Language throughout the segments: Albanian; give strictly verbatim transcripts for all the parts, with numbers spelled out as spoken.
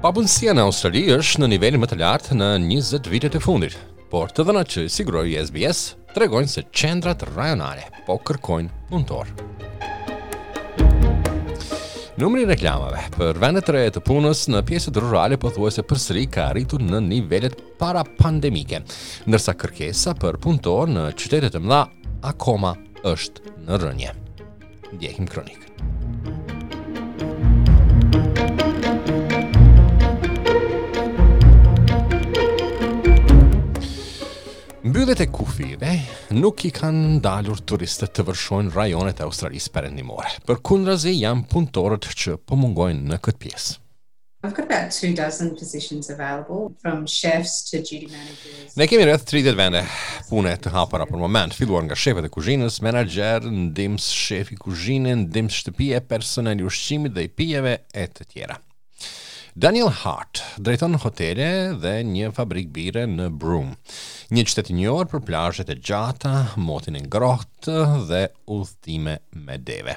Papunësia në Australi është në nivelin më të lartë në njëzet vitet e fundit, por të dhënat që siguroi S B S tregojnë se qendrat rajonale po kërkojnë punëtor. Numri i reklamave për vendet të reja të punës në pjesët rurale pothuajse përsëri ka arritur në nivelet para pandemike, ndërsa kërkesa për punëtor në qytetet e mëdha akoma është në rënje. Ndjekim kronikën. Mbylljet e kufijve nuk i kanë ndalur turistët të vërshojnë rajonet e Australisë Perëndimore. Përkundrazi, janë punëtorët që po mungojnë në këtë pjesë. I've got about two dozen positions available, from chefs to duty managers. Ne kemi rreth tridhjetë vende pune të hapura për moment, filluar nga shefët e kuzhinës, menaxher, ndihmës shefi kuzhine, ndihmës shtëpie, personel i ushqimit dhe i pijeve e të tjera. Daniel Hart drejton hotele dhe një fabrik bire në Broome, një qytet i njohur për plazhet e gjata, motin e ngrohtë dhe udhëtime me deve.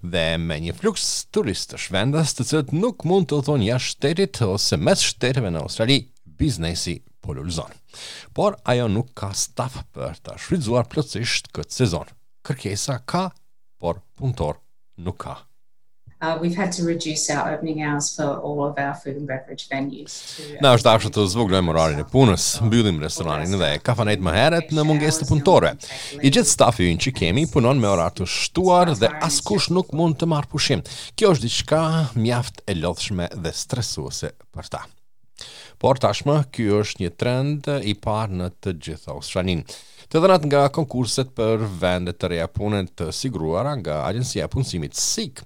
Dhe me një fluks turistësh vendas të cilët nuk mund të udhëtojnë jashtë shtetit ose mes shteteve në Australi, biznesi po lulëzon. Por ajo nuk ka staf për ta shfrytzuar plotësisht këtë sezon. Kërkesa ka, por punëtor nuk ka. Uh, we've had to reduce our opening hours for all of our food and beverage venues. To, Na është dashur të zvogëlojmë orarin e punës, mbyllim restoranin dhe kafanet më herët në mungesë të punëtorëve. I gjithë stafi ynë që kemi punon me orar të shtuar dhe askush nuk mund të marrë pushim. Kjo është diçka mjaft e lodhshme dhe stresuese për ta. Por tashmë ky është një trend i parë në të gjithë Australinë. Të dhënat nga konkurset për vende të reja pune të siguruara nga Agjencia e Punësimit SEEK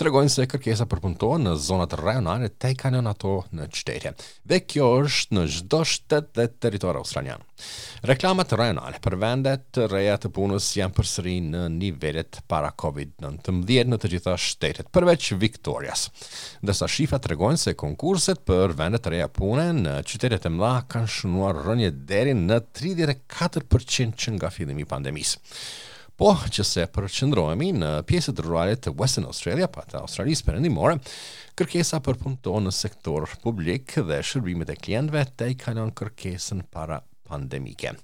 tregojnë se kërkesa për punëtorë në zonat rajonale tejkalon ato në qytete. Dhe kjo është në çdo shtet dhe territor australian. Reklamat rajonale për vende të reja të punës janë përsëri në nivelet para Covid nëntëmbëdhjetë në të gjitha shtetet, përveç Victorias. Ndërsa shifrat tregojnë se konkurset për vende të reja pune në qytetet e mëdha kanë shënuar rënje deri në tridhjetë e katër përqind që nga fillimi i pandemisë. Po, që se përqendrohemi në pjesët rurale të Western Australia, pa të Australisë Perëndimore, kërkesa për punëtor në sektor publik dhe shërbimet e klientëve tejkalon kërkesën para pandemike.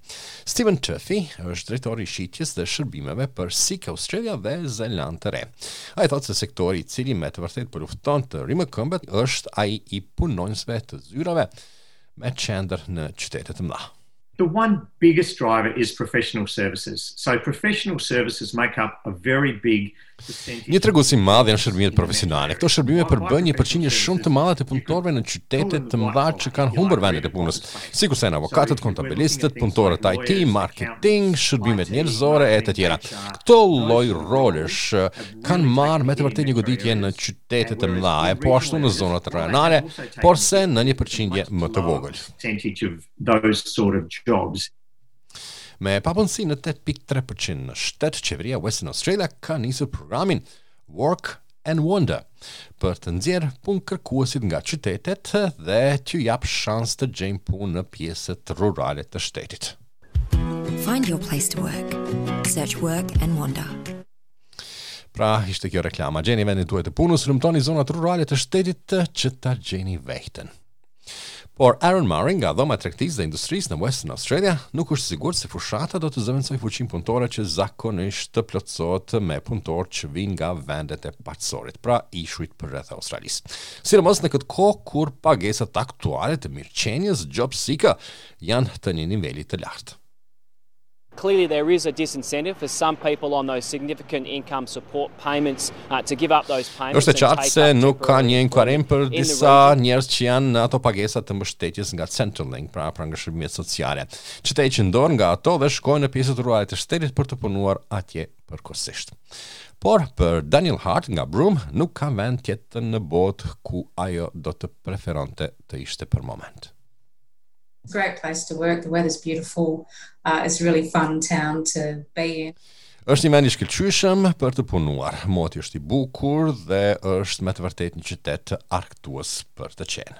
Stephen Tuffy është drejtori i shitjes dhe shërbimeve për Seek Australia dhe Zelandë të Re. Ai thotë se sektori i cili me të vërtetë po lufton të rimëkëmbet është ai i punonjësve të zyrave me qendër në qytete të mëdha. The one biggest driver is professional services. So professional services make up a very big percentage. Një tregues i madh janë shërbimet profesionale. Këto shërbime përbëjnë një përqindje shumë të madhe të punëtorëve në qytete të mëdha që kanë humbur vendet e punës, sikurse janë avokatët, kontabilistët, punëtorët I T, marketing, shërbimet njerëzore e të tjera. Këto lloj rolesh kanë marrë me të vërtetë një goditje në qytete të mëdha, e po ashtu në zonat rajonale, porse në një përqindje më të vogël. Percentage of those sort of jobs. Me papunësi në tetë pikë tre përqind në shtet, qeveria Western Australia ka nisur programin Work and Wander për të nxjerrë punë kërkuesit nga qytetet dhe t'ju jap shans të gjejnë punë në pjesët rurale të shtetit. Find your place to work. Search Work and Wander. Pra, ishte kjo reklama. Gjeni vendin tuaj të punës, hulumtoni zonat rurale të shtetit që ta gjeni veten. Por Aaron Murray nga Dhoma e Tregtisë dhe Industrisë në Western Australia nuk është sigurt se fushata do të zëvendësojë fuqinë punëtore që zakonisht të plotësohet me punëtorë që vijnë nga vendet e paqësorit, pra ishujt përreth Australisë. Sidomos në këtë kohë kur pagesat aktuale të mirëqenies Job Seeker janë të një niveli të lartë. Clearly, there is a disincentive for some people on those significant income support payments uh, to give up those payments. Është e qartë se nuk ka një inkuadrim për disa njerëz që janë në ato pagesa të mbështetjes nga Centrelink, pra pra nga shërbimet sociale, që të heqin dorë nga ato dhe shkojnë në pjesët rurale të shtetit për të punuar atje përkohësisht. Por për Daniel Hart nga Broome nuk ka vend tjetër në botë ku ajo do të preferonte të ishte për moment. Great place to work. The weather's beautiful. Uh, it's a really fun town to be in. Është një vend i shkëlqyeshëm për të punuar. Moti është i bukur dhe është me të vërtetë një qytet arkëtues për të qenë.